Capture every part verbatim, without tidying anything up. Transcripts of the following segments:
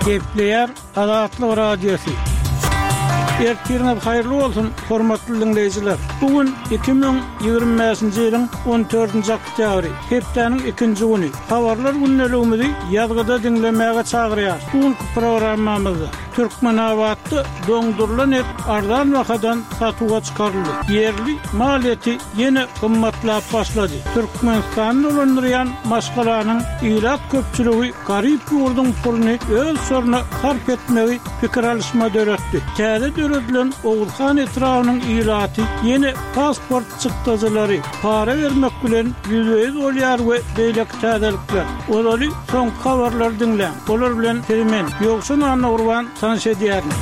Gepleýär Azatlyk Radiosy. Ertiriňiz haýyrly bolsun, hormatly diňleýjiler. Bu gün iki müň ýigrimi bäşinji ýylyň on dördünji oktýabry, hepdäniň ikinji güni. Habarlar gündeligimizi ýazgyda diňlemäge çagyrýarys. Bu günki programmamyzda Türkmenabatda doňdurylan et arzan bahadan satuwa çykaryldy. Ýerli mal eti ýene gymmatlap başlady. Türkmenistany dolandyrýan maşgalanyň ilat köpçüligi garyp ýurduň puluny öz şoruna sarp etmegi pikir alyşma döretdi. Täze döredilen Oguzhan etrabynyň ilaty ýene pasport çykdajylary para bermek bilen ýüzbe-ýüz bolýar we beýleki täzelikler. Ozaly soňky habarlary diňläň. Olar bilen sizi men, Ýowşan Annagurban tanyş edýärin.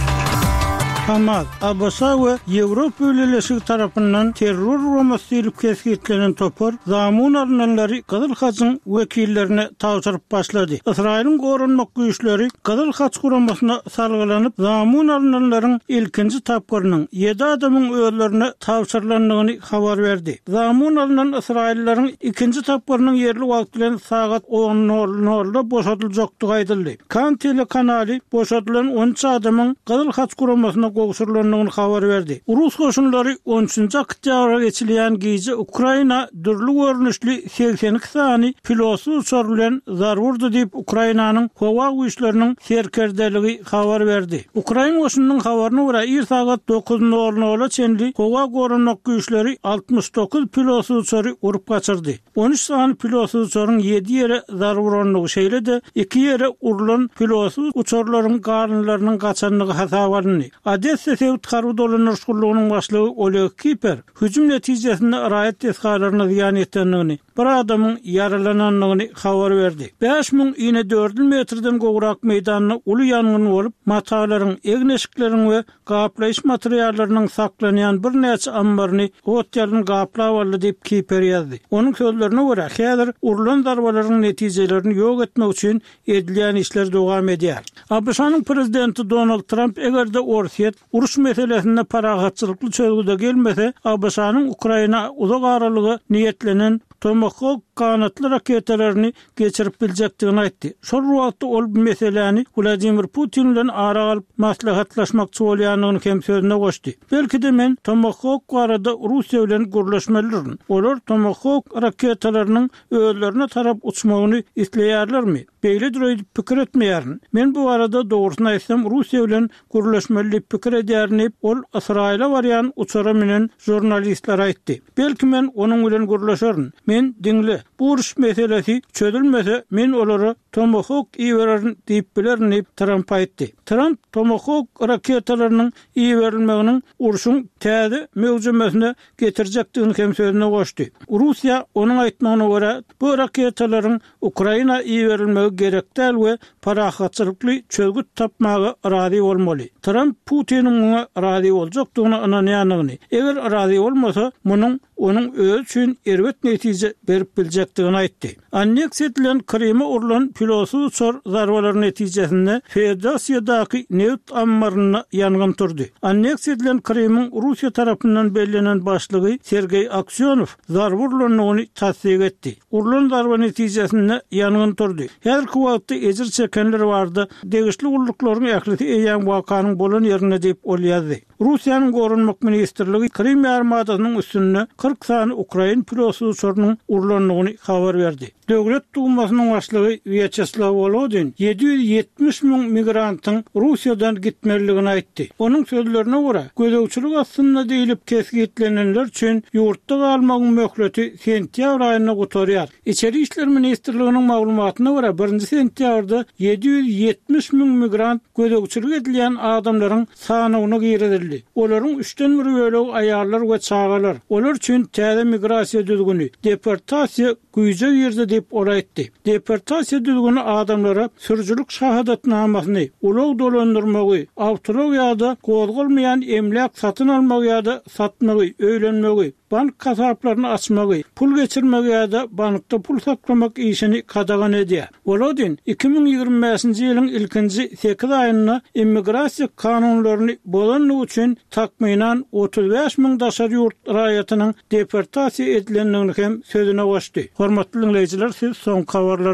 Hamas, A B Ş we Ýewropa Bileleşigi tarapyndan terror guramasy diýlip kesgitlenen topar zamun alynanlary Gyzyl Haçyň wekillerine tabşyryp başlady. Ysraýylyň goranmak güýçleri Gyzyl Haç guramasyna salgylanyp, zamun alynanlaryň ilkinji tapgyrynyň ýedi adamyň özlerine tabşyrylandygyny habar berdi. Zamun alynan ysraýyllaryň ikinji tapgyrynyň ýerli wagt bilen sagat on nol nolda boşadyljakdygy aýdyldy. Kan telekanaly boşadylan on üç adamyň Gyzyl Haç guramasyna gowşurylandygyny habar berdi. Rus goşunlary on üçünji oktýabra geçilýän gije Ukraina dürli görnüşli segsen iki sany pilotsyz uçar bilen zarba urdy diýip, Ukrainanyň howa güýçleriniň serkerdeligi habar berdi. Ukrain goşunynyň habaryna görä, ir sagat dokuz nol nola çenli howa goranmak güýçleri altmyş dokuz pilotsyz uçary urup gaçyrdy. On üç sany pilotsyz uçaryň ýedi ýere zarba urandygy, şeýle-de iki ýere urulan pilotsyz uçarlaryň galynlarynyň gaçandygy hasaba alyndy. Odessa sebit harby dolandyryş gullugynyň başlygy Oleg Kiper hüjüm netijesinde raýat desgalaryna zyýan ýetendigini, bir adamyň ýaralanandygyny habar berdi. Bäş müň inedördül metrden gowrak meýdanda uly ýangyn bolup, matalaryň, egin-eşikleriň we gaplaýyş materiallarynyň saklanýan birnäçe ammaryny ot ýalyn gaplap aldy diýip Kiper ýazdy. Onuň sözlerine görä, häzir urulan zarbalaryň netijelerini ýok etmek üçin edilýän işler dowam edýär. A B Ş-nyň prezidenti Donald Tramp eger-de Orsýet uruş meselesinde parahatçylykly çözgüde gelmese, A B Ş-nyň Ukraina uzak aralyga niýetlenen Tomahawk ganatly raketalaryny geçirip biljekdigini aýtdy. Şol wagtda ol bu meseläni Wladimir Putin bilen ara alyp maslahatlaşmakçy bolýandygyny hem sözüne goşdy. Belki-de men Tomahawk barada Russiýa bilen gürleşmelidirin. Olar Tomahawk raketalarynyň özlerine tarap uçmagyny isleýärlermi? Beýledir öýdüp pikir etmeýärin. Men bu barada dogrusyny aýtsam Russiýa bilen gürleşmeli diýip pikir edýärin diýip, ol Ysraýyla barýan uçara münen žurnalistlere aýtdy. Belki men onuň bilen gürleşerin. Men diňle, bu uruş meselesi çözülmese men olara Tomahawk ibererin diýip bilerin diýip Tramp aýtdy. Tramp Tomahawk raketalarynyň iberilmeginiň urşuň täze möwjemesine getirjekdigini hem sözüne goşdy. Russiýa onuň aýtmagyna görä bu raketalaryň Ukraina iberilmegi gerek däl we parahatçylykly çözgüt tapmaga razy bolmaly. Tramp Putiniň muňa razy boljakdygyna ynanýandygyny, eger razy bolmasa, munuň onuň özi üçin erbet netije berip biljekdigini aýtdy. Anneksiýa edilen Kryma urulan pilotsyz uçar zarbalary netijesinde Feodosiýadaky neft ammarynda ýangyn turdy. Anneksiýa edilen Krymyň Russiýa tarapyndan bellenen başlygy Sergeý Aksýonow zarba urulandygyny tassyk etdi. Urulan zarba netijesinde ýangyn turdy. Häzirki wagtda ejir çekenler bardy. Degişli gulluklaryň ählisi eýýäm wakanyň bolan ýerinde diýip ol ýazdy. Russiýanyň Goranmak ministrligi Krym ýarymadasynyň üstünde kyrk sany ukrain pilotsyz uçarynyň urulandygyny habar berdi. Döwlet Dumasynyň başlygy Wýaçeslaw Wolodin ýedi ýüz ýetmiş müň migrantyň Russiýadan gitmelidigini aýtdy. Onuň sözlerine görä, gözegçilik astynda diýlip kesgitlenenler üçin ýurtda galmagyň möhleti sentýabr aýynda gutarýar. Içeri işler ministrliginiň maglumatyna görä, birinji sentýabrda ýedi ýüz ýetmiş müň migrant gözegçilik edilýän adamlaryň sanawyna girizildi. Olaryň üçden bir bölegi aýallar we çagalar. Olar üçin täze migrasiýa düzgüni, deportasiýa güýje girdi diýip ol aýtdy. Deportasiýa düzgüni adamlara sürüjilik şahadatnamasyny, ulag dolandyrmagy, awtoulag ýa-da gozgalmaýan emläk satyn almagy ýa-da satmagy, öýlenmegi, bank hasaplaryny açmagy, pul geçirmegi ýa-da bankda pul saklamak işini gadagan edýär. Wolodin iki müň ýigrimi bäşinji ýylyň ilkinji sekiz aýynda immigrasiýa kanunlaryny bozandygy üçin takmynan otuz bäş müň daşary ýurt raýatynyň deportasiýa edilendigini hem sözüne goşdy. Hormatly dinleýjiler, siz soňky habarlary